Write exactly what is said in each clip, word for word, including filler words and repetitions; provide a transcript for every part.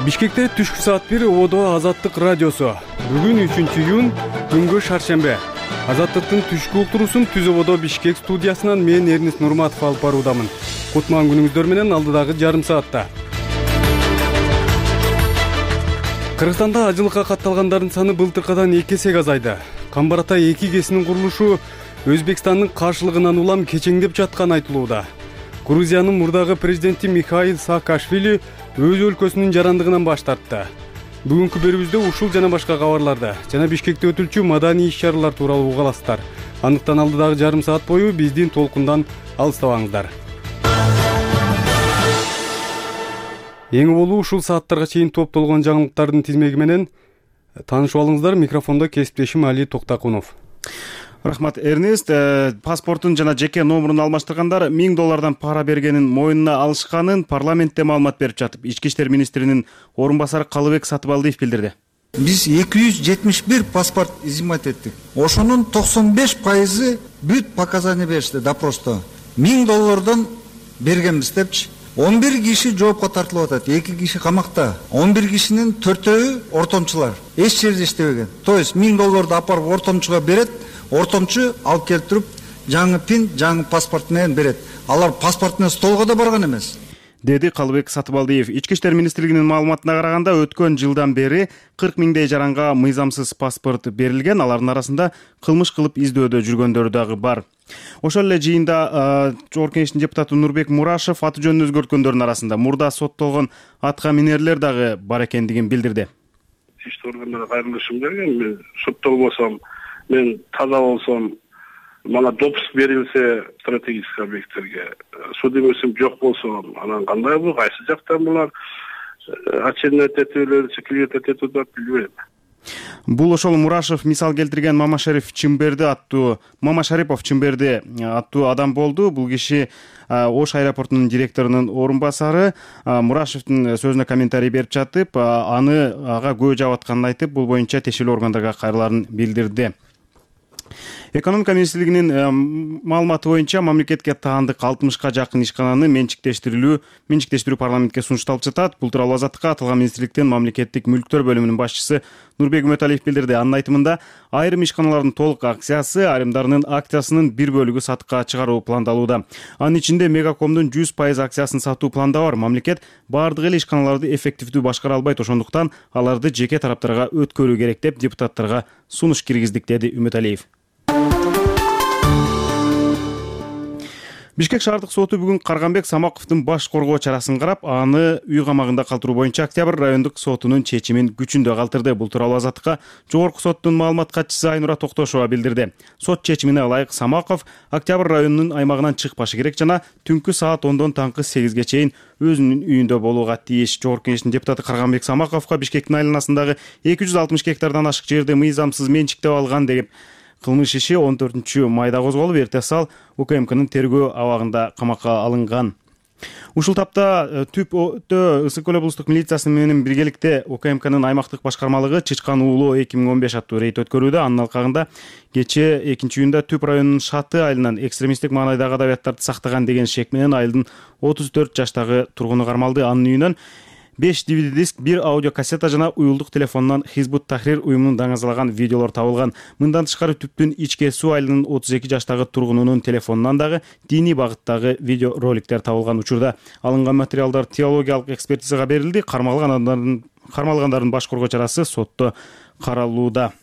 Бишкекте түшкү саат бир ободо Азаттык радиосу. Бүгүн үчүнчү июнь, күнгө шаршембе. Азаттыктын түшкү уктуруусун Түз ободо Бишкек студиясынан мен Эрнис Нурматов алып баруудамын. Кутман күнүңүздөр менен алдыдагы жарым саатта. Кыргызстанда ажылыкка катталгандардын саны былтыркыдан эки эсеге азайды. Камбар Атай эки кесинин курулушу Өзбекстандын каршылыгынан улам кечеңдеп жатканы айтылууда. Грузиянын мурдагы президенти Михаил Саакашвили өз өлкөсүнүн жарандыгынан баш тартты. Бүгүнкү берүүбүздө ушул жана башка кабарларды жана Бишкекте өтүлчү маданий иш-чаралар тууралуу уга аласыздар. Андыктан алдыдагы жарым саат бою биздин толкундан алыстабаңыздар. Эң болуу ушул сааттарга чейин топтолгон жаңылыктардын тизмеги менен таанышып алыңыздар. Микрофондо кесиптешим Али Токтакунов. Рахмат, Эрнест. Паспортун жана жеке номурун алмаштыргандар миң доллардан пара бергенин мойнуна алышканын парламентте маалымат берип жатып, Ички иштер министринин орун басары Калыбек Сатыбалдиев билдирди. Биз эки жүз жетимиш бир паспорт изимать эттик. Ошонун токсон беш пайызы бүт показания беришти допросто. миң доллардан бергенбиз депчи. он бир киши жоопко тартылып атат, эки киши камакта. он бир кишинин төртөөү ортомчулар. Эч жерде иштебеген. То есть миң долларды апарып ортомчуга берет, ортомчу алып келип туруп жаңы пин, жаңы паспорт менен берет. Алар паспорт менен столго да барган эмес, деди Калыбек Сатыбалдиев. Ички иштер министрлигинин маалыматына караганда, өткөн жылдан бери кырк миңдей жаранга мыйзамсыз паспорт берилген. Алардын арасында кылмыш кылып издөөдө жүргөндөр дагы бар. Ошол эле жыйында Жогорку Кеңештин депутаты Нурбек Мурашев аты жөнүн өзгөрткөндөрдүн арасында мурда соттолгон атка минерлер дагы бар экендигин билдирди. Ички органдарга кайрылышым берген, мен соттолбосом, мен таза болсом, мага допуск берилсе стратегический объекттерге, судимосум жок болсо, анан кандай бул, кайсы жактан булар очернять этүүлөр, секретать этип атат, билбейм. Бул ошол Мурашев мисал келтирген Мамашарипов Чымберди аттуу Мамашарипов Чымберди аттуу адам болду. Бул киши Ош аэропортунун директорунун орун басары. Мурашевдин сөзүнө комментарий берип жатып, аны ага күбө жаап атканын айтып, бул боюнча тиешелүү органдарга кайрыларын билдирди. Экономика министрлигинин маалыматы боюнча мамлекетке таандык алтымышка жакын ишкананы менчиктештирүү менчиктештирүү парламентке сунушталып жатат. Бул тууралуу Азаттыкка аталган министрликтин мамлекеттик мүлктөр бөлүмүнүн башчысы Нурбек Үмөталиев билдирди. Анын айтымында, айрым ишканалардын толук акциясы, айрымдарынын акциясынын бир бөлүгү сатыкка чыгаруу пландалууда. Анын ичинде Мегакомдун жүз пайыз акциясын сатуу планда бар. Мамлекет бардык эле ишканаларды эффективдүү башкара албайт, ошондуктан аларды жеке тараптарга өткөрүү керек деп депутаттарга сунуш киргиздик, деди Үмөталиев. Бишкек шаардык соту бүгүн Карганбек Самаковдун баш коргоо чарасын карап, аны үй камагында калтыруу боюнча Октябрь райондук сотунун чечимин күчүндө калтырды. Бул тууралуу Азаттыкка Жогорку соттун маалымат катчысы Айнура Токтошова билдирди. Сот чечимине ылайык Самаков Октябрь районунун аймагынан чыкпашы керек жана түнкү саат ондон таңкы сегизге чейин өзүнүн үйүндө болууга тийиш. Жогорку Кеңештин депутаты Карганбек Самаковго Бишкектин айланасындагы эки жүз алтымыш гектардан ашык жерди мыйзамсыз менчиктеп алган деген кылмыш иши он төртүнчү майда козголуп, эртеси ал УКМКнын тергөө абагында камакка алынган. Ушул тапта Түп Өтө Ысык көл облустук милициясы менен биргеликте УКМКнын аймактык башкармалыгы Чычкан уулоо эки миң он беш аттуу рейд өткөрүүдө. Анын алкагында кечээ экинчи июнда Түп районунун Шаты айылынан экстремисттик маанайдагы адабияттарды сактаган деген шек менен айылдын отуз төрт жаштагы тургуну кармалды. Анын үйүнөн беш ди ви ди диск, бир аудиокассета жана уюлдук телефондон Хизбут Тахрир уюмунун даңазалаган видеолор табылган. Мындан тышкары Түптүн Ичке Суу айылынын отуз эки жаштагы тургунунун телефонунан дагы диний багыттагы видео роликтер табылган. Учурда алынган материалдар теологиялык экспертизага берилди. Кармалгандардын кармалгандардын баш коргоо чарасы сотто каралууда.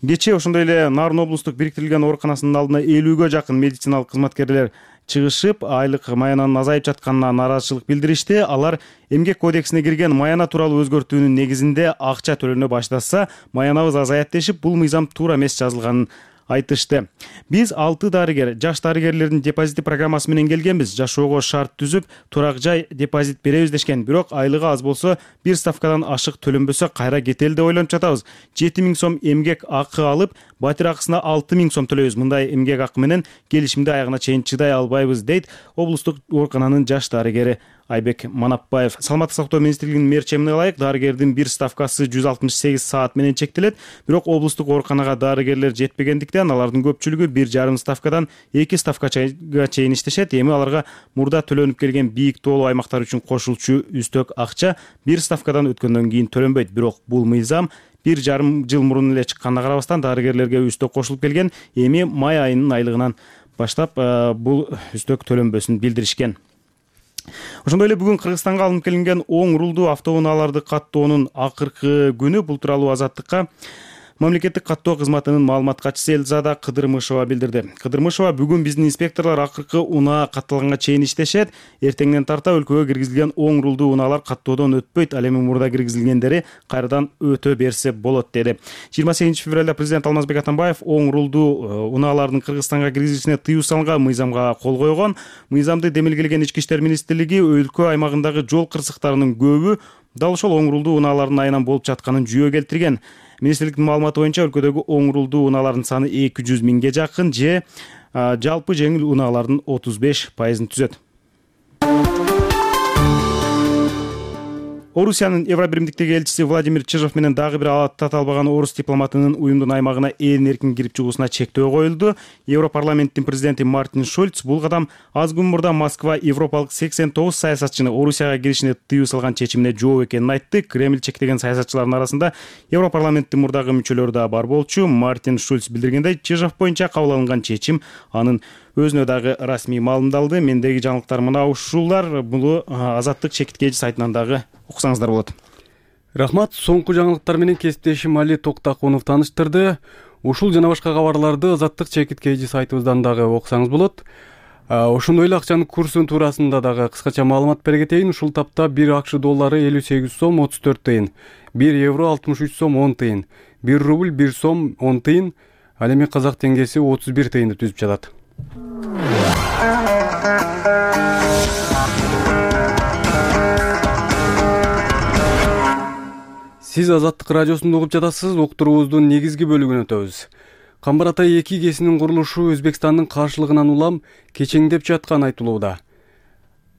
Кечээ ошондой эле Нарын облустук бириктирилген ооруканасынын алдына элүүгө жакын медициналык кызматкерлер чыгышып, айлык маянанын азайып жатканына нааразычылык билдиришти. Алар эмгек кодексине кирген маяна тууралуу өзгөртүүнүн негизинде акча төлөнө баштаса, маянабыз азаят дешип, бул мыйзам туура эмес жазылганын айтышты. Биз алты дарыгер, жаш дарыгерлердин депозити программасы менен келгенбиз. Жашоого шарт түзүп, турак жай депозит беребиз дешкен. Бирок айлыгы аз болсо, бир ставкадан ашык төлөнбөсө кайра кетели деп ойлонуп жатабыз. жети миң сом эмгек акы алып, батир акысына алты миң сом төлөйбүз. Мындай эмгек акы менен келишимди аягына чейин чыдай албайбыз, дейт облустук оорукананын жаш дарыгери Айбек Манапбаев. Саламаттык сактоо министрлигинин мерчемине ылайык, дарыгердин бир ставкасы жүз алтымыш сегиз саат менен чектелет. Бирок облустук ооруканага дарыгерлер жетпегендиктен келгендиктен алардын көпчүлүгү бир жарым ставкадан эки ставкага чейин иштешет. Эми аларга мурда төлөнүп келген бийик тоолуу аймактар үчүн кошулчу үстөк акча бир ставкадан өткөндөн кийин төлөнбөйт. Бирок бул мыйзам бир жарым жыл мурун эле чыкканына карабастан дарыгерлерге үстөк кошулуп келген. Эми май айынын айлыгынан баштап бул үстөк төлөнбөсүн билдиришкен. Ошондой эле бүгүн Кыргызстанга алынып келинген оң рулдуу автоунааларды каттоонун акыркы күнү. Бул тууралуу Азаттыкка мамлекеттик каттоо кызматынын маалымат катчысы Элзада Кыдырмышева билдирди. Кыдырмышева бүгүн биздин инспекторлор акыркы унаа катталганга чейин иштешет. Эртеңден тарта өлкөгө киргизилген оң рулдуу унаалар каттоодон өтпөйт. Ал эми мурда киргизилгендери кайрадан өтө берсе болот деди. жыйырма сегизинчи февралда президент Алмазбек Атамбаев оң рулдуу унаалардын Кыргызстанга киргизилишине тыюу салган мыйзамга кол койгон. Мыйзамды демилгелеген Ички иштер министрлиги өлкө аймагындагы жол кырсыктарынын көбү дал ошол оң рулдуу унаалардын айынан болуп жатканын жүйө келтирген. Министрликтин маалыматы боюнча өлкөдөгү оң рулдуу унаалардын саны эки жүз миңге жакын же жалпы жеңил унаалардын отуз беш пайызын түзөт. Орусиянын Евробиримдиктеги элчиси Владимир Чижов менен дагы бир аты албаган орус дипломатынын уюмдун аймагына эрин эркин кирип чыгуусуна чектөө коюлду. Европарламенттин президенти Мартин Шульц бул кадам аз күн мурда Москва европалык сексен тогуз саясатчыны Орусияга киришине тыюу салган чечимине жооп экенин айтты. Кремль чектеген саясатчылардын арасында Европарламенттин мурдагы мүчөлөрү да бар болчу. Мартин Шульц билдиргендей, Чижов боюнча кабыл алынган чечим анын өзүнө дагы расмий маалымдалды. Мендеги жаңылыктар мына ушулар. Бул Азаттык чекиткеji сайтынан дагы окусаңыздар болот. Рахмат. Соңку жаңылыктар менен кесиптешим Али Токтакунов тааныштырды. Ушул жана башка кабарларды Азаттык чекиткеji сайтыбыздан дагы окусаңыз болот. Ошондой эле акчанын курсунун туурасында дагы кыскача маалымат бере кетейин. Ушул тапта бир акш доллары элүү сегиз сом отуз төрт тыйын, бир евро алтымыш үч сом он тыйын, бир рубль бир сом он тыйын, ал эми казак теңгеси отуз бир тыйынды түзүп жатат. Сиз Азаттык радиосунда угуп жатасыз. Уктуруубуздун негизги бөлүгүнө өтөбүз. Камбар Атай эки кесинин курулушу Өзбекстандын каршылыгынан улам кечеңдеп жатканы айтылууда.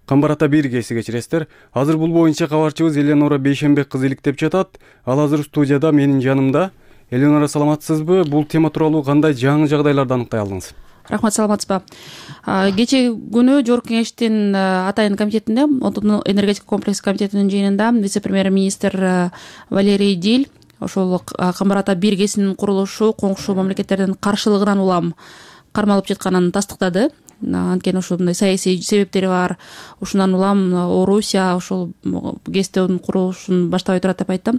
Камбар Ата бир кеси кечиресиздер. Азыр бул боюнча кабарчыбыз Эленора Бейшенбек кызы иликтеп жатат. Ал азыр студияда менин жанымда. Эленора, саламатсызбы? Бул тема тууралуу кандай жаңы жагдайларды аныктай алдыңыз? Рахмат, саламатсызбы? Кечээ күнү Жогорку Кеңештин Атайын комитетинде, Отундун энергетика комплекс комитетинин жыйынында вице-премьер-министр Валерий Диль ошол Камбар Ата бир кесинин курулушу коңшу мамлекеттердин каршылыгынан улам кармалып жатканын тастыктады. Анткени ошол мындай саясий себептери бар. Ушундан улам Орусия ошол кесиптин курулушун баштабай турат деп айттым.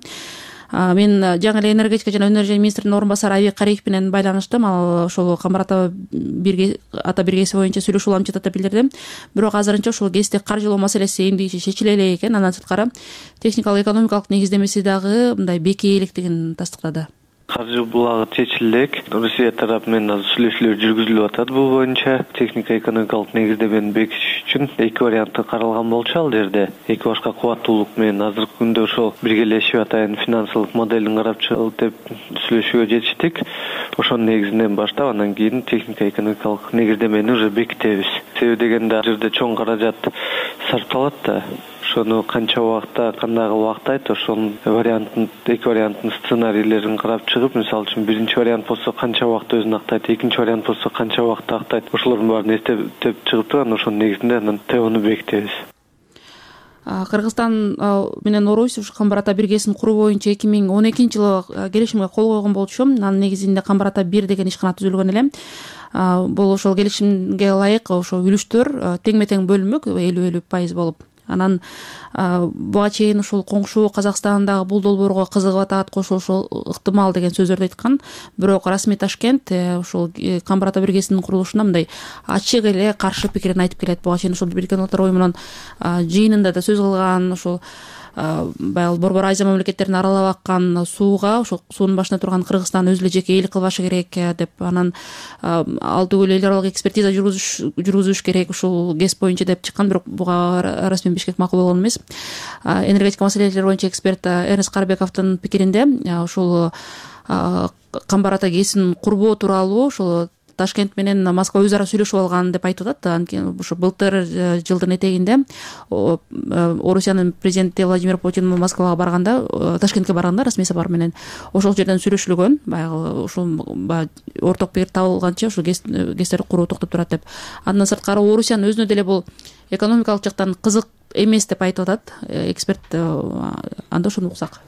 Мен жаңы эле энергетика жана өнөр министринин орун басары Айбек Кариев менен байланыштым. Ал ошол Камбар Ата бир ата бир кеси боюнча сүйлөшүү улам жатат деп билдирди. Бирок азырынча ошол кесипти каржылоо маселеси эмди чечиле элек экен. Андан сырткары техникалык экономикалык негиздемеси дагы мындай бекей электигин тастыктады. Каржы булагы чечилек. Россия тарапы менен азыр сүйлөшүүлөр жүргүзүлүп атат бул боюнча. Техника экономикалык негиздемени бекитиш үчүн эки варианты каралган болчу ал жерде. Эки башка кубаттуулук менен азыркы күндө ошол биргелешип атайын финансылык моделин карап чыгып деп сүйлөшүүгө жетиштик. Ошонун негизинен баштап андан кийин техника экономикалык негиздемени уже бекитебиз. Себеби дегенде ал жерде чоң каражат сарпталат да. Ошону канча убакта, кандай убактайт, ошонун вариантын, эки варианттын сценарийлерин карап чыгып, мисалы үчүн биринчи вариант болсо канча убакта өзүн актайт, экинчи вариант болсо канча убакта актайт. Ошолордун баарын эстеп чыгып турган ошонун негизинде анан тебону бекитебиз. Кыргызстан менен Орус ушу Камбар Ата бир кесин куруу боюнча эки миң он экинчи жылы келишимге кол койгон болчу. Анын негизинде Камбар Ата бир деген ишкана түзүлгөн эле. Бул ошол келишимге ылайык ошо үлүштөр теңме-тең бөлүнмөк, элүү элүү пайыз болуп. Анан буга чейин ушул коңшу Казакстандагы бул долбоорго кызыгып атат, кошулушу ыктымал деген сөздөрдү айткан. Бирок расмий Ташкент ушул Камбар Ата бир кесинин курулушуна мындай ачык эле каршы пикирин айтып келет. Буга чейин ушул Бириккен Улуттар уюмунун жыйынында да сөз кылган, ушул баягы Борбор Азия мамлекеттерин аралап аккан сууга, ошол суунун башында турган Кыргызстан өзү эле жеке ээлик кылбашы керек деп, анан ал түгүл эл аралык экспертиза жүргүзүш керек ушул кес боюнча деп чыккан. Бирок буга расмий Бишкек макул болгон эмес. Энергетика маселелери боюнча эксперт Эрнест Карбековдун пикиринде ушул Камбар Ата кесин курбоо тууралуу ушул Ташкент менен Москва өз ара сүйлөшүп алган деп айтып атат. Анткени ушу былтыр жылдын этегинде Орусиянын президенти Владимир Путин Москвага барганда, Ташкентке барганда расмий сапар менен ошол жерден сүйлөшүлгөн. Баягы ушул орток пикир табылганча ушул гэстерди куруу токтоп турат деп. Андан сырткары Орусиянын өзүнө деле бул экономикалык жактан кызык эмес деп айтып атат эксперт. Анда ошону уксак.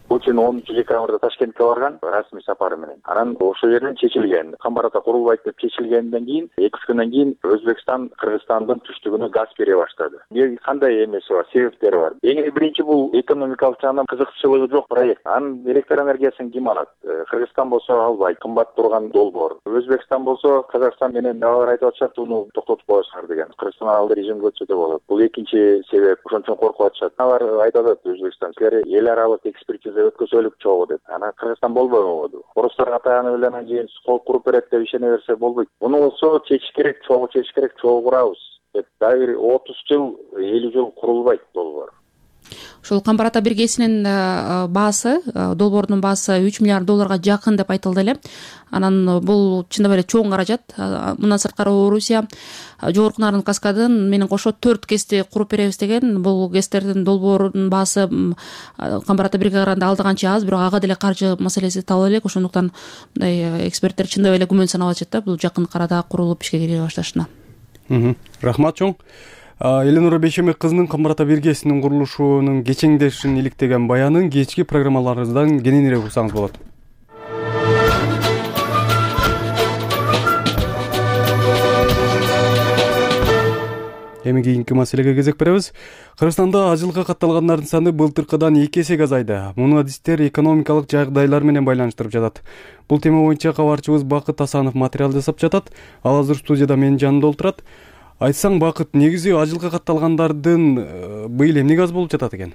Путин онунчу декабрда Ташкентке барган расмий сапары менен. Анан ошол жерден чечилген. Камбар ата курулбайт деп чечилгенден кийин эки үч күндөн кийин Өзбекстан Кыргызстандын түштүгүнө газ бере баштады. Бул кандай эмеси бар, себептери бар. Эң биринчи бул экономикалык жагынан кызыкчылыгы жок проект. Анын электр энергиясын ким алат? Кыргызстан болсо албайт, кымбат турган долбоор. Өзбекстан болсо Казакстан менен алар айтып атышат, уну токтотуп коесуңар деген. Кыргызстан алды режимге өтсө да болот. Бул экинчи себеп. Ошон үчүн коркуп атышат. Алар айтып атат Өзбекстан, силер эл аралык экспертиза өткөзөлүк чогуу деп. Анан Кыргызстан болбойбу? Орустарга таянып эле анан кийин кол куруп берет деп ишене берсе болбойт. Муну болсо чечиш керек, чогуу чечиш керек, чогуу курабыз деп. Дагы отуз жыл, элүү жыл курулбайт долбоор. Ушул Камбар ата биргесинин баасы, долбоордун баасы үч миллиард долларга жакын деп айтылды эле. Анан бул чындап эле чоң каражат. Мындан сырткары Орусия Жогорку Нарын каскадын менен кошо төрт гэсти куруп беребиз деген. Бул гэстердин долбоорунун баасы Камбар ата бирге караганда алда канча аз, бирок ага деле каржы маселеси табыла элек. Ошондуктан мындай эксперттер чындап эле күмөн санап атышат да бул жакын арада курулуп ишке кире башташына. Рахмат чоң. Эленора Бейшембек кызынын Камбар ата биргесинин курулушунун кечеңдешин иликтеген баянын кечки программаларыбыздан кененирээк уксаңыз болот. Эми кийинки маселеге кезек беребиз. Кыргызстанда ажылыкка катталгандардын саны былтыркыдан эки эсеге азайды. Муну адистер экономикалык жагдайлар менен байланыштырып жатат. Бул тема боюнча кабарчыбыз Бакыт Асанов материал жасап жатат. Ал азыр студияда менин жанымда отурат. Айтсаң, Бакыт, негизи ажылыкка катталгандардын быйыл эмнеге аз болуп жатат экен?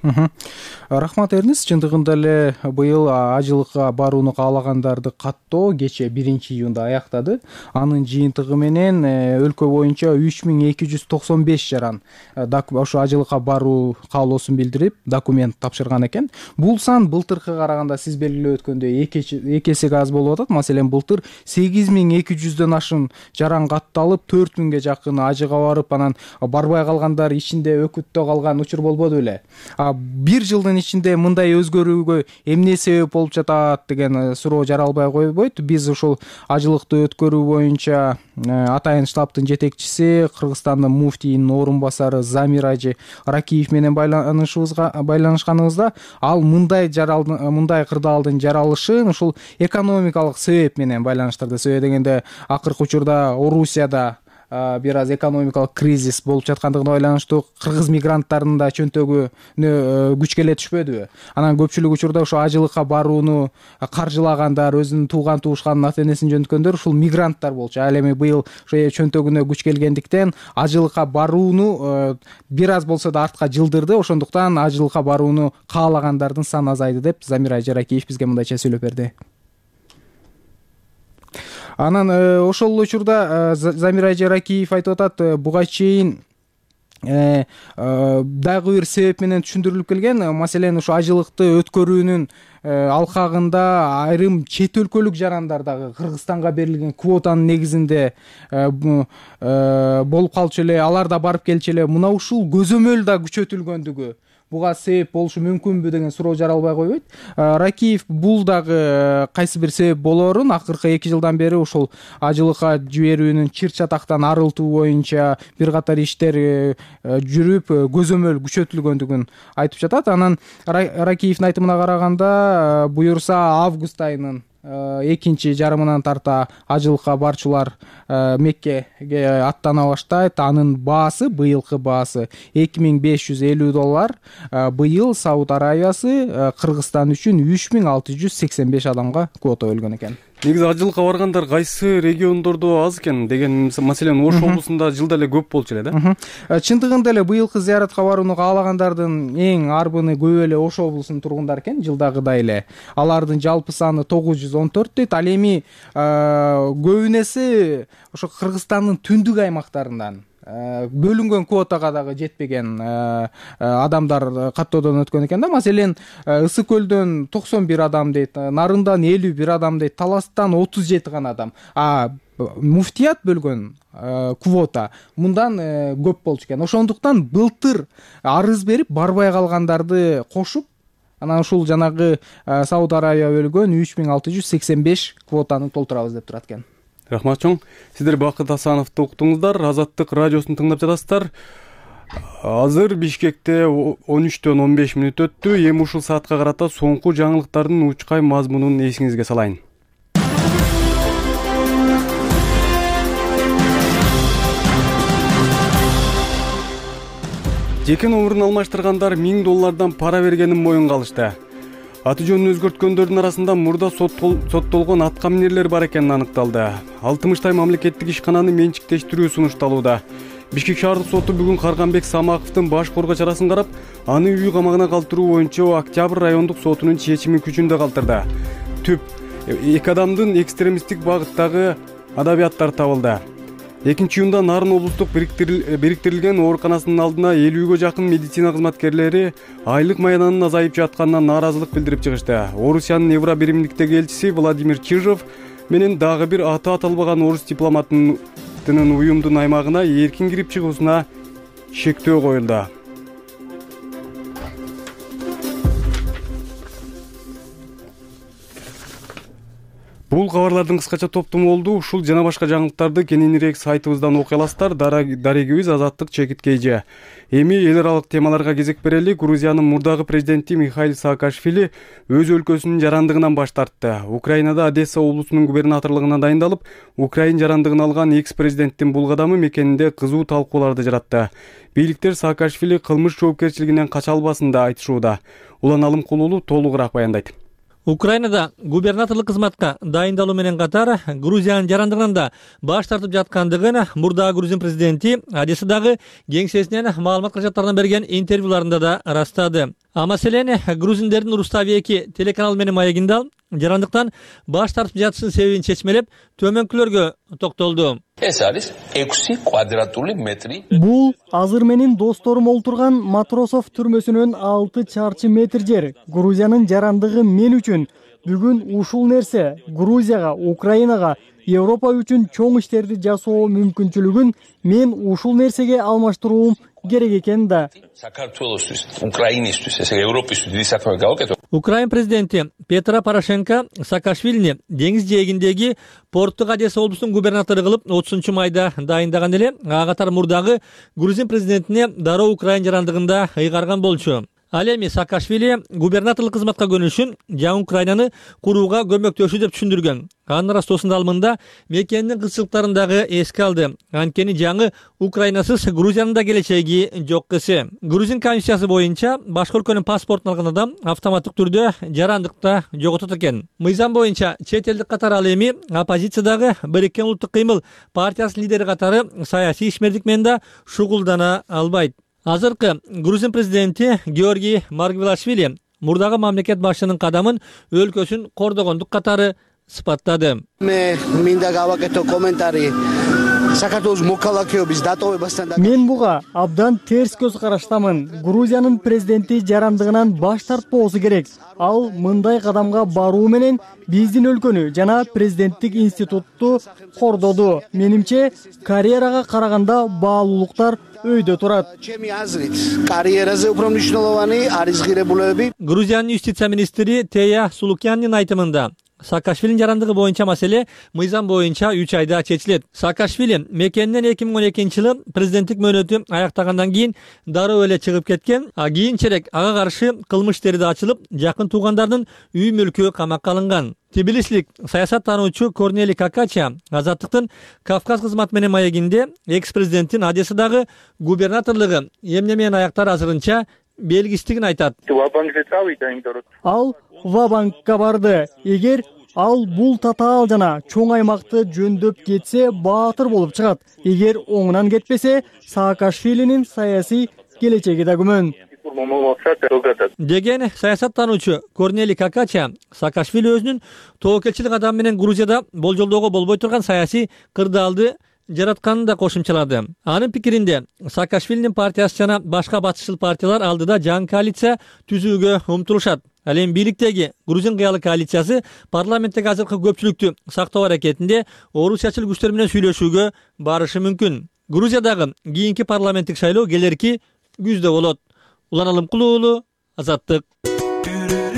Рахмат Эрнис, чындыгында эле быйыл ажылыкка барууну каалагандарды каттоо кече биринчи июнда аяктады. Анын жыйынтыгы менен өлкө боюнча үч миң эки жүз токсон беш жаран ошо ажылыкка баруу каалоосун билдирип, документ тапшырган экен. Бул сан былтыркыга караганда сиз белгилеп өткөндөй эки эсеге аз болуп атат. Маселен, былтыр сегиз миң эки жүздөн ашын жаран катталып, төрт миңге жакын ажы барып, анан барбай калгандар ичинде өкүттө калган учур болбоду беле. Бир жылдын ичинде мындай өзгөрүүгө эмне себеп болуп жатат деген суроо жаралбай койбойт. Биз ушул ажылыкты өткөрүү боюнча атайын штабтын жетекчиси, Кыргызстандын муфтийинин орун басары Замир Ажи Ракиев менен байланышыбызга байланышканыбызда ал мындай жаралдын мындай кырдаалдын жаралышын ушул экономикалык себеп менен байланыштырды. Себеби дегенде акыркы учурда Орусияда бир аз экономикалык кризис болуп жаткандыгына байланыштуу кыргыз мигранттарынын да чөнтөгүнө күч келе түшпөдүбү? Анан көпчүлүк учурда ошо ажылыкка барууну каржылагандар, өзүнүн тууган туушканын ата энесин жөнөткөндөр ушул мигранттар болчу. Ал эми быйыл ошо чөнтөгүнө күч келгендиктен ажылыкка барууну бир аз болсо да артка жылдырды. Ошондуктан ажылыкка барууну каалагандардын саны азайды деп Замир Ажаракиев бизге мындайча сөйлөп берди. Анан ошол учурда Замир Ажаракиев айтып атат, буга чейин дагы бир себеп менен түшүндүрүлүп келген. Маселен, ушу ажылыкты өткөрүүнүн алкагында айрым чет өлкөлүк жарандар дагы Кыргызстанга берилген квотанын негизинде болуп калчу эле, алар да барып келчү эле. Мына ушул көзөмөл да күчөтүлгөндүгү буга себеп болушу мүмкүнбү деген суроо жаралбай койбойт. Ракиев бул дагы кайсы бир себеп болоорун акыркы эки жылдан бери ушул ажылыкка жиберүүнүн чыр чатактан арылтуу боюнча бир катар иштер жүрүп, көзөмөл күчөтүлгөндүгүн айтып жатат. Анан Ракиевдин айтымына караганда, буюрса август айынын экинчи жарымынан тарта ажылыкка барчулар Меккеге аттана баштайт. Анын баасы, быйылкы баасы эки миң беш жүз элүү доллар. Быйыл Сауд Арабиясы Кыргызстан үчүн үч миң алты жүз сексен беш адамга квота бөлгөн экен. Негизи ажылыкка баргандар кайсы региондордо аз экен деген, маселен Ош облусунда жылда эле көп болчу эле да. Чындыгында эле быйылкы зыяратка барууну каалагандардын эң арбыны көп эле Ош облусунун тургундары экен, жылдагыдай эле. Алардын жалпы саны тогуз жүз он төрт дейт. Ал эми көбүнесе ошо Кыргызстандын түндүк аймактарынан бөлүнгөн квотага дагы жетпеген адамдар каттоодон өткөн экен да. Маселен, Ысык көлдөн токсон бир адам дейт, Нарындан элүү бир адам дейт, Таластан отуз жети гана адам. А муфтият бөлгөн квота мындан көп болчу экен. Ошондуктан былтыр арыз берип барбай калгандарды кошуп, анан ушул жанагы Сауд Арабия бөлгөн үч миң алты жүз сексен беш квотаны толтурабыз деп турат экен. Рахмат чоң. Сиздер Бакыт Асановду уктуңуздар. Азаттык радиосун тыңдап жатасыздар. Азыр Бишкекте он үчтөн он беш мүнөт өттү. Эми ушул саатка карата соңку жаңылыктардын учкай мазмунун эсиңизге салайын. Жеке номурун алмаштыргандар миң доллардан пара бергенин моюнга алышты. Аты жөнүн өзгөрткөндөрдүн арасында мурда соттолгон аткаминерлер бар экени аныкталды. алтымыштай мамлекеттик ишкананы менчиктештирүү сунушталууда. Бишкек шаардык соту бүгүн Карганбек Самаковдун баш коргоо чарасын карап, аны үй камагына калтыруу боюнча Октябрь райондук сотунун чечимин күчүндө калтырды. Түп эки адамдын экстремисттик багыттагы адабияттары табылды. Экинчи июнда Нарын облустук бириктирилген ооруканасынын алдына элүүгө жакын медицина кызматкерлери айлык маянанын азайып жатканына нааразылык билдирип чыгышты. Орусиянын Евро биримдиктеги элчиси Владимир Чижов менен дагы бир аты аталбаган орус дипломатынын уюмдун аймагына эркин кирип чыгуусуна шектөө коюлду. Бул кабарлардын кыскача топтому болду. Ушул жана башка жаңылыктарды кененирээк сайтыбыздан окуй аласыздар. Дарегибиз Азаттык чекит кейже. Эми эл аралык темаларга кезек берели. Грузиянын мурдагы президенти Михаил Саакашвили өз өлкөсүнүн жарандыгынан баш тартты. Украинада Одесса облусунун губернаторлугуна дайындалып, Украин жарандыгын алган экс-президенттин бул кадамы мекенинде кызуу талкууларды жаратты. Бийликтер Саакашвили кылмыш жоопкерчилигинен кача албасын да айтышууда. Улан Алымкулуулу толугураак баяндайт. Украинада губернаторлук кызматка дайындалуу менен катар Грузиянын жарандыгынан да баш тартып жаткандыгын мурдагы Грузин президенти Одессадагы кеңсесинен маалымат качаттарына берген интервьюларында да ырастады. А маселен грузиндердин Рустави эки телеканалы менен маегинде жарандыктан баш тартып жатышынын себебин чечмелеп, төмөнкүлөргө токтолду. Бул азыр менин досторум олтурган Матросов түрмөсүнөн алты чарчы метр жер. Грузиянын жарандыгы мен үчүн бүгүн ушул нерсе Грузияга, Украинага, Европа үчүн чоң иштерди жасоо мүмкүнчүлүгүн мен ушул нерсеге алмаштырууум керек экен да. Украин президенти Петро Порошенко Саакашвилини деңиз жээгиндеги порттук Одесса облусунун губернатору кылып отузунчу майда дайындаган эле, ага катар мурдагы Грузин президентине дароо Украин жарандыгында ыйгарган болчу. Ал эми Саакашвили губернаторлук кызматка көнүшүн жаңы Украинаны курууга көмөктөшүү деп түшүндүргөн. Анын растоосунда алымында мекенинин кызчылыктарын дагы эске алды. Анткени жаңы Украинасыз Грузиянын да келечеги жок кысы. Грузин конституциясы боюнча башка өлкөнүн паспортун алган адам автоматтык түрдө жарандыкта жоготот экен. Мыйзам боюнча чет элдик катары ал эми оппозициядагы Бириккен улуттук кыймыл партиясынын лидери катары саясий ишмердик менен да шугулдана албайт. Азыркы Грузин президенти Георгий Маргвелашвили мурдагы мамлекет башчынын кадамын өлкөсүн кордогондук катары сыпаттады. Мен буга абдан терс көз караштамын. Грузиянын президенти жарандыгынан баш тартпоосу керек. Ал мындай кадамга баруу менен биздин өлкөнү жана президенттик институтту кордоду. Менимче, карьерага караганда баалуулуктар өйдө турат. Грузиянын юстиция министри Тея Сулукяннин айтымында Саакашвилинин жарандыгы боюнча маселе мыйзам боюнча үч айда чечилет. Саакашвили мекенинен эки миң он экинчи жылы президенттик мөөнөтү аяктагандан кийин дароо эле чыгып кеткен. А кийинчерээк ага каршы кылмыш иштери да ачылып, жакын туугандарынын үй мүлкү камакка алынган. Тбилисилик саясаттануучу Корнелий Какача Азаттыктын Кавказ кызматы менен маегинде экс-президенттин Одессадагы губернаторлугу эмне менен аяктары азырынча белгисиздигин айтат. Ал Вабанкка барды. Эгер ал бул татаал жана чоң аймакты жөндөп кетсе, баатыр болуп чыгат. Эгер оңунан кетпесе, Саакашвилинин саясий келечеги да күмөн. Деген саясаттануучу Корнелий Какача Саакашвили өзүнүн тобокелчилик адамы менен Грузияда болжолдоого болбой турган саясий кырдаалды жаратканын да кошумчалады. Анын пикиринде Саакашвилинин партиясы жана башка батышчыл партиялар алдыда жаңы коалиция түзүүгө умтулушат. Ал эми бийликтеги Грузин кыялы коалициясы парламенттеги азыркы көпчүлүктү сактоо аракетинде орусиячыл күчтөр менен сүйлөшүүгө барышы мүмкүн. Грузиядагы кийинки парламенттик шайлоо келерки күздө болот. Улан Алымкулуу уулу, Азаттык.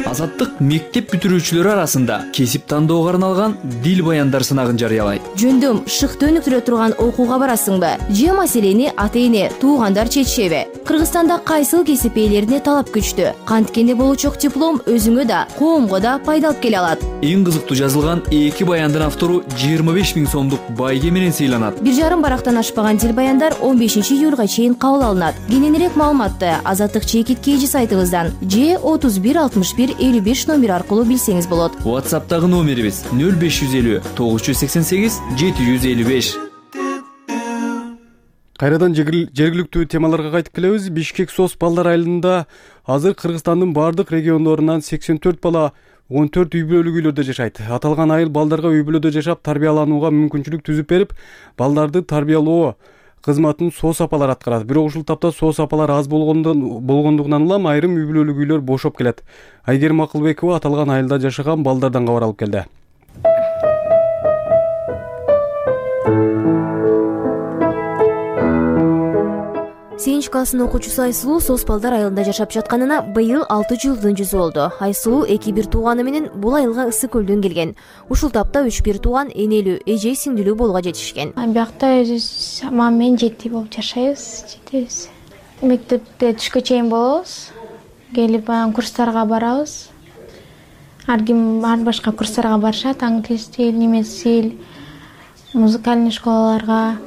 Азаттык мектеп бүтүрүүчүлөрү арасында кесип тандоого арналган дил баяндар сынагын жарыялайт. Жөндөм шыкты өнүктүрө турган окууга барасыңбы? Же маселени ата-эне, туугандар чечишеби? Кыргызстанда кайсыл кесип ээлерине талап күчтүү? Канткенде болучок диплом өзүңө да, коомго да пайда алып келе алат. Эң кызыктуу жазылган эки баяндын автору жыйырма беш миң сомдук байге менен сыйланат. Бир жарым барактан ашпаган дил баяндар он бешинчи июлга чейин кабыл алынат. Кененирээк маалыматты Азаттык чекит кейжи сайтыбыздан же отуз бир алтымыш бир элүү беш номер аркылуу билсеңиз болот. WhatsApp'тагы номерибиз нөл беш жүз элүү тогуз жүз сексен сегиз жети жүз элүү беш. Кайрадан жергиликтүү темаларга кайтып келебиз. Бишкек СОС балдар айылында азыр Кыргызстандын бардык региондорунан сексен төрт бала он төрт үй бүлөлүк үйлөрдө жашайт. Аталган айыл балдарга үй бүлөдө жашап тарбияланууга мүмкүнчүлүк түзүп берип, балдарды тарбиялоо кызматын СОС апалар аткарат. Бирок ушул тапта СОС апалар аз болгондугунан улам айрым үй бүлөлүк үйлөр бошоп келет. Айгерим Акылбекова аталган айылда жашаган балдардан кабар алып келди. сегизинчи класстын окуучусу Айсулуу СОС балдар айылында жашап жатканына быйыл алты жылдын жүзү болду. Айсулуу эки бир тууганы менен бул айылга ысык көлдөн келген. Ушул тапта үч бир тууган энелүү, эже сиңдилүү болууга жетишкен. Биякта өзүбүз мама менен жети болуп жашайбыз, жетебиз. Мектепте түшкө чейин болобуз. Келип анан курстарга барабыз. Ар ким ар башка курстарга барышат, англис тил, немис тил, музыкальный школаларга.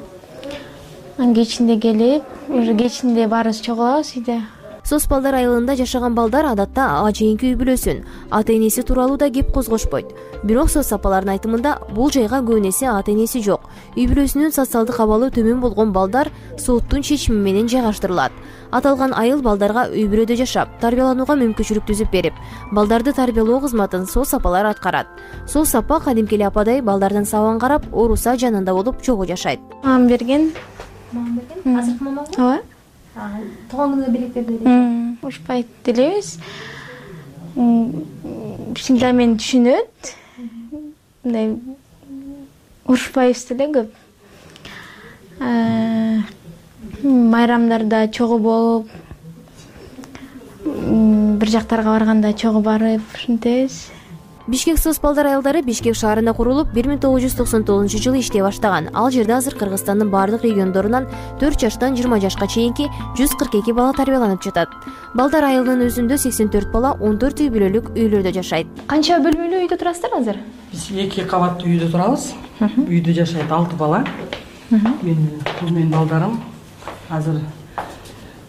Анан кечинде келип, уже кечинде баарыбыз чогулабыз үйдө. СОС балдар айылында жашаган балдар адатта ажайынки үй бүлөсүн, ата-энеси тууралуу да кеп козгошпойт. Бирок СОС апалардын айтымында бул жайга көбүнесе ата-энеси жок, үй бүлөсүнүн социалдык абалы төмөн болгон балдар соттун чечими менен жайгаштырылат. Аталган айыл балдарга үй бүлөдө жашап, тарбияланууга мүмкүнчүлүк түзүп берип, балдарды тарбиялоо кызматын СОС апалар аткарат. СОС апа кадимки эле ападай балдардын сабагын карап, ооруса жанында болуп чогуу жашайт. Мам берген. Мам берген? Азыркы мамаңбы? Ооба. Туган күнүгө белектерди берет. Ушпайт делебиз. Кичинде мени түшүнөт. Мындай урушпайбыз деле көп. Майрамдарда чогуу болуп, бир жактарга барганда чогуу барып, ушинтебиз. Бишкек СОС балдар айылдары Бишкек шаарында курулуп, бир миң тогуз жүз токсон тогузунчу жылы иштей баштаган. Ал жерде азыр Кыргызстандын бардык региондорунан төрт жаштан жыйырма жашка чейинки жүз кырк эки бала тарбияланып жатат. Балдар айылынын өзүндө сексен төрт бала он төрт үй бүлөлүк үйлөрдө жашайт. Канча бөлмөлүү үйдө турасыздар азыр? Биз эки кабаттуу үйдө турабыз. Үйдө жашайт алты бала. Мен бул менин балдарым. Азыр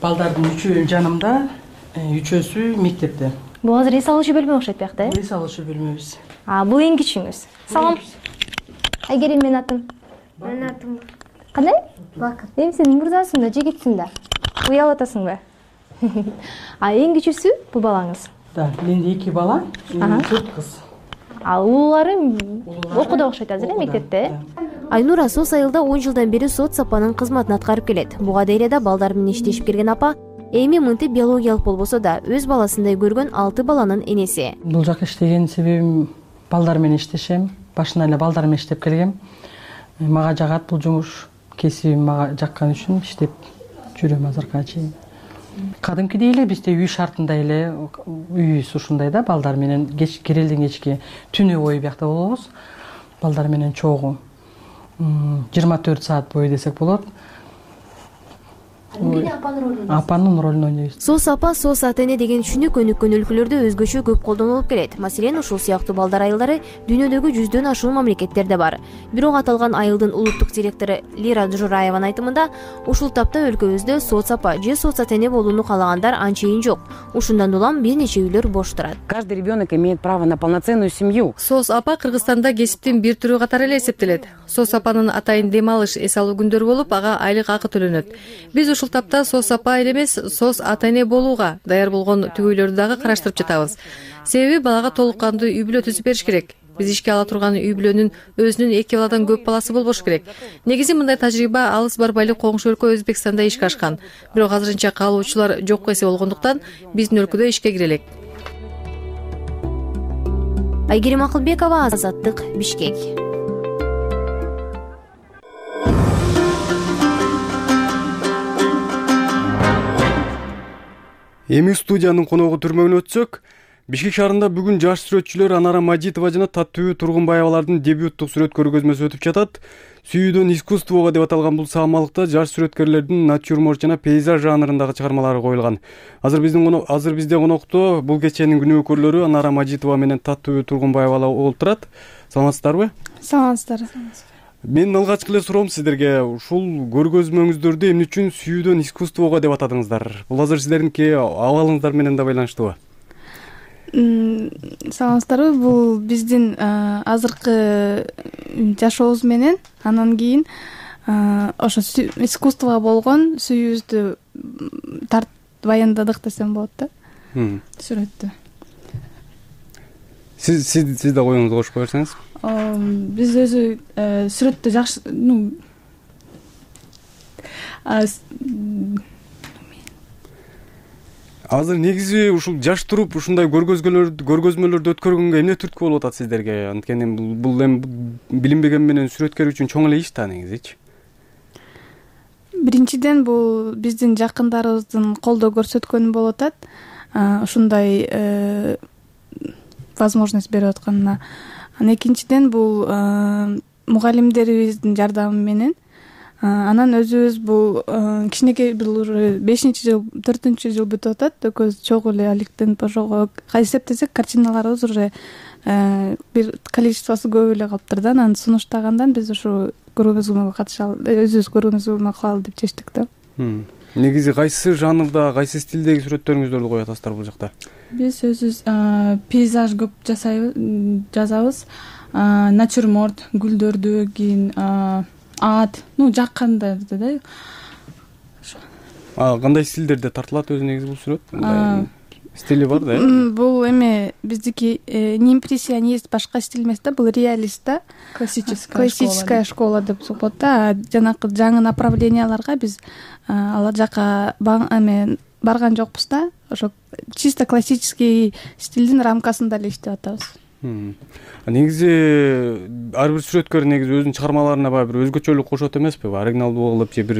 балдардын үчөө жанымда, үчөөсү мектепте. Бул азыр эс алуучу бөлмө окшойт биякта, э? Эс алуучу бөлмөбүз. А, бул эң кичүүңүз. Салам. Айгерим менин атым. Менин атым кандай? Бакыт. Эми сен мырзасың да, жигитсиң да. Уялып атасыңбы? А эң кичүүсү бул балаңыз? Да, менде эки бала, төрт кыз. Ал уулары окууда окшойт азыр, э, мектепте? Айнура СОС айылда он жылдан бери соц апанын кызматын аткарып келет. Буга дейре да балдар менен иштешип келген апа эми мынтип биологиялык болбосо да өз баласындай көргөн алты баланын энеси. Бул жака иштеген себебим балдар менен иштешем. Башынан эле балдар менен иштеп келгем. Мага жагат бул жумуш, кесибим мага жаккан үчүн иштеп жүрөм азыркыга чейин. Кадимкидей эле бизде үй шартында эле үйүбүз ушундай да, балдар менен кеч кирелден кечке түнү бою биякта болобуз. Балдар менен чогуу жыйырма төрт саат бою десек болот. Апанын ролун ойнойбуз. СОС апа, СОС ата-эне деген түшүнүк өнүккөн өлкөлөрдө өзгөчө көп колдонулуп келет. Маселен, ушул сыяктуу балдар айылдары дүйнөдөгү жүздөн ашуун мамлекеттерде бар. Бирок аталган айылдын улуттук директору Лира Жураеванын айтымында, ушул тапта өлкөбүздө СОС апа же СОС ата-эне болууну каалагандар анчейин жок. Ушундан улам бир нече үйлөр бош турат. Каждый ребенок имеет право на полноценную семью. СОС апа Кыргызстанда кесиптин бир түрү катары эле эсептелет. СОС апанын атайын дем алыш, эс алуу күндөрү болуп, ага айлык акы төлөнөт. Биз ушул тапта СОС апа эле эмес, СОС ата-эне болууга даяр болгон түгөйлөрдү дагы караштырып жатабыз. Себеби балага толук кандуу үй бүлө түзүп бериш керек. биз ишке ала турган үй бүлөнүн өзүнүн эки баладан көп баласы болбош керек. Негизи мындай тажрыйба алыс барбай эле коңшу өлкө Өзбекстанда ишке ашкан. Бирок азырынча каалоочулар жок эсе болгондуктан биздин өлкөдө ишке кире элек. Айгерим Акылбекова, Азаттык, Бишкек. Эми студиянын коногу түрмөгүнө өтсөк, Бишкек шаарында бүгүн жаш сүрөтчүлөр Анара Мажитова жана Таттуу Тургунбаевалардын дебюттук сүрөт көргөзмөсү өтүп жатат. Сүйүүдөн искусствого деп аталган бул саамалыкта жаш сүрөткерлердин натюрморт жана пейзаж жанрындагы чыгармалары коюлган. Азыр биздин азыр бизде конокто бул кеченин күнөөкөрлөрү Анара Мажитова менен Таттуу Тургунбаевалар отурат. Саламатсыздарбы? Саламатсыздар. Менин алгачкы эле суроом сиздерге, ушул көргөзмөңүздөрдү эмне үчүн сүйүүдөн искусствого деп атадыңыздар? Бул азыр сиздердинки абалыңыздар менен да байланыштуубу? Саламатсыздарбы, бул биздин азыркы жашообуз менен анан кийин ошо искусствого болгон сүйүүбүздү тарт баяндадык десем болот да. Сүрөттү. Сиз сиз сиз да оюңузду кошуп кое берсеңиз. Биз өзү сүрөттү жакшы, ну азыр негизи ушул жаш туруп ушундай көргөзмөлөрдү көргөзмөлөрдү өткөргөнгө эмне түрткү болуп атат сиздерге? Анткени бул эми билинбеген менен сүрөткер үчүн чоң эле иш да негизичи. Биринчиден бул биздин жакындарыбыздын колдоо көрсөткөнү болуп атат. Ушундай возможность берип атканына. Анан экинчиден бул мугалимдерибиздин жардамы менен. Анан өзүбүз бул кичинекей бул уже бешинчи жыл, төртүнчү жыл бүтүп атат. Экөөбүз чогуу эле алектенип ошого эсептесек, картиналарыбыз уже бир количествосу көп эле калыптыр да. Анан сунуштагандан биз ушу көргөзмөгө катышалы, өзүбүз көргөзмө кылалы деп чечтик да. Негизи кайсы жанрда, кайсы стилдеги сүрөттөрүңүздөрдү коюп атасыздар бул жакта? Биз өзүбүз пейзаж көп жасайбыз, жазабыз. Натюрморт, гүлдөрдү, кийин ат, ну жаккандарды да. А кандай стилдерде тартылат өзү негизи бул сүрөт? Стили бар да? Бул эми биздики не импрессионист, башка стиль эмес да, бул реалист да. Классическая школа деп болот да. Жанакы жаңы направленияларга биз ал жака эме барган жокпуз да. Ошо чисто классический стилдин рамкасында эле иштеп атабыз. Негизи ар бир сүрөткөр негизи өзүнүн чыгармаларына баягы бир өзгөчөлүк кошот эмеспи? Оригиналдуу кылып же бир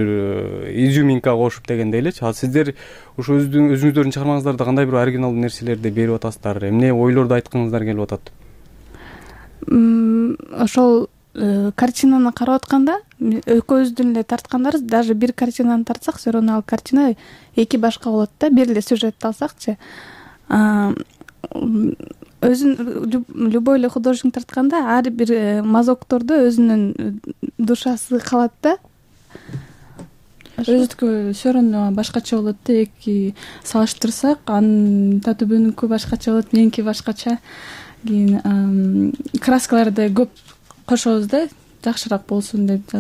изюминка кошуп дегендей элечи. А сиздер ошо өзүңүздөрдүн чыгармаңыздарда кандай бир оригиналдуу нерселерди берип атасыздар? Эмне ойлорду айткыңыздар келип атат? Ошол картинаны карап атканда экөөбүздүн эле тарткандарыбыз, даже бир картинаны тартсак, все равно ал картина эки башка болот да. Бир эле сюжетти алсакчы. Өзүн любой эле художник тартканда ар бир мазоктордо өзүнүн душасы калат да. Өзүнүкү все равно башкача болот да. Эки салыштырсак, анын татүбүнүкү башкача болот, меники башкача. Кийин краскаларды көп кошобуз да, жакшыраак болсун деп.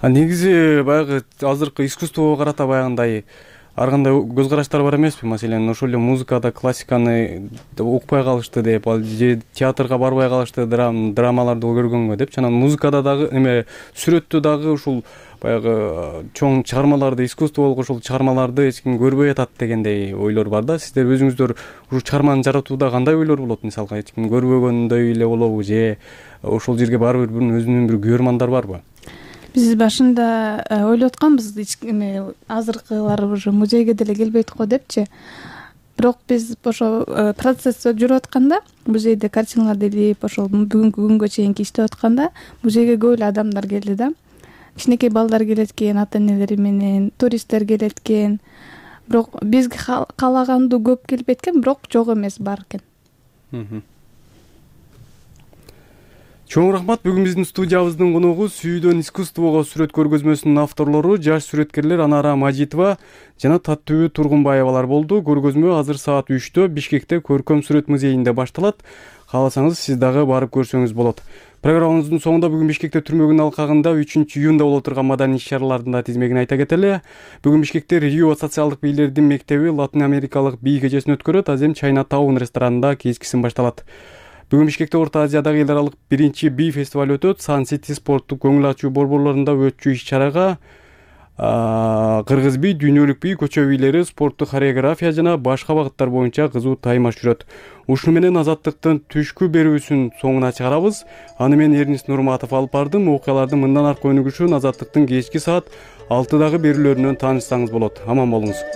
А негизи баягы азыркы искусствого карата баягындай ар кандай көз караштар бар эмеспи? Маселен, ошол эле музыкада классиканы укпай калышты деп, же театрга барбай калышты, драмаларды көргөнгө деп. Анан музыкада дагы эме сүрөттө дагы ушул баягы чоң чыгармаларды, искусство болгон ушул чыгармаларды эч ким көрбөй атат дегендей ойлор бар да. Сиздер өзүңүздөр ушул чыгарманы жаратууда кандай ойлор болот? Мисалга, эч ким көрбөгөндөй эле болобу, же ошол жерге баары бир өзүнүн бир күйөрмандар барбы? Биз башында ойлоп атканбыз, эме азыркылар уже музейге деле келбейт го депчи. Бирок биз ошо процесс жүрүп атканда, музейде картиналарды илип, ошол бүгүнкү күнгө чейин иштеп атканда, музейге көп эле адамдар келди да. Кичинекей балдар келет экен, ата-энелери менен, туристтер келет экен. Бирок бизге каалагандуу көп келбейт экен, бирок жок эмес, бар экен. Чоң рахмат. Бүгүн биздин студиябыздын коногу Сүйүүдөн искусствого сүрөт көргөзмөсүнүн авторлору жаш сүрөткерлер Анара Мажитова жана Таттуу Тургунбаевалар болду. Көргөзмө азыр саат үчтө Бишкекте Көркөм сүрөт музейинде башталат. Кааласаңыз, сиз дагы барып көрсөңүз болот. Программабыздын соңунда бүгүн Бишкекте түрмөгүнүн алкагында үчүнчү июнда боло турган маданий иш-чаралардын да тизмегин айта кетели. Бүгүн Бишкекте Рио социалдык бийлердин мектеби Латын Америкалык бий кечесин өткөрөт. Азем Чайна Таун ресторанында кечкисин башталат. Бүгүн Бишкекте Орто Азиядагы эл аралык биринчи би фестиваль өтөт. Сан Сити спорттук көңүл ачуу борборлорунда өтчү иш-чарага кыргыз би, дүйнөлүк би, көчө бийлери, спорттук хореография жана башка багыттар боюнча кызуу таймаш жүрөт. Ушуну менен Азаттыктын түшкү берүүсүн соңуна чыгарабыз. Аны мен Эрнис Нурматов алып бардым. Окуялардын мындан аркы өнүгүшүн Азаттыктын кечки саат алтыдагы берүүлөрүнөн таанышсаңыз болот. Аман болуңуз.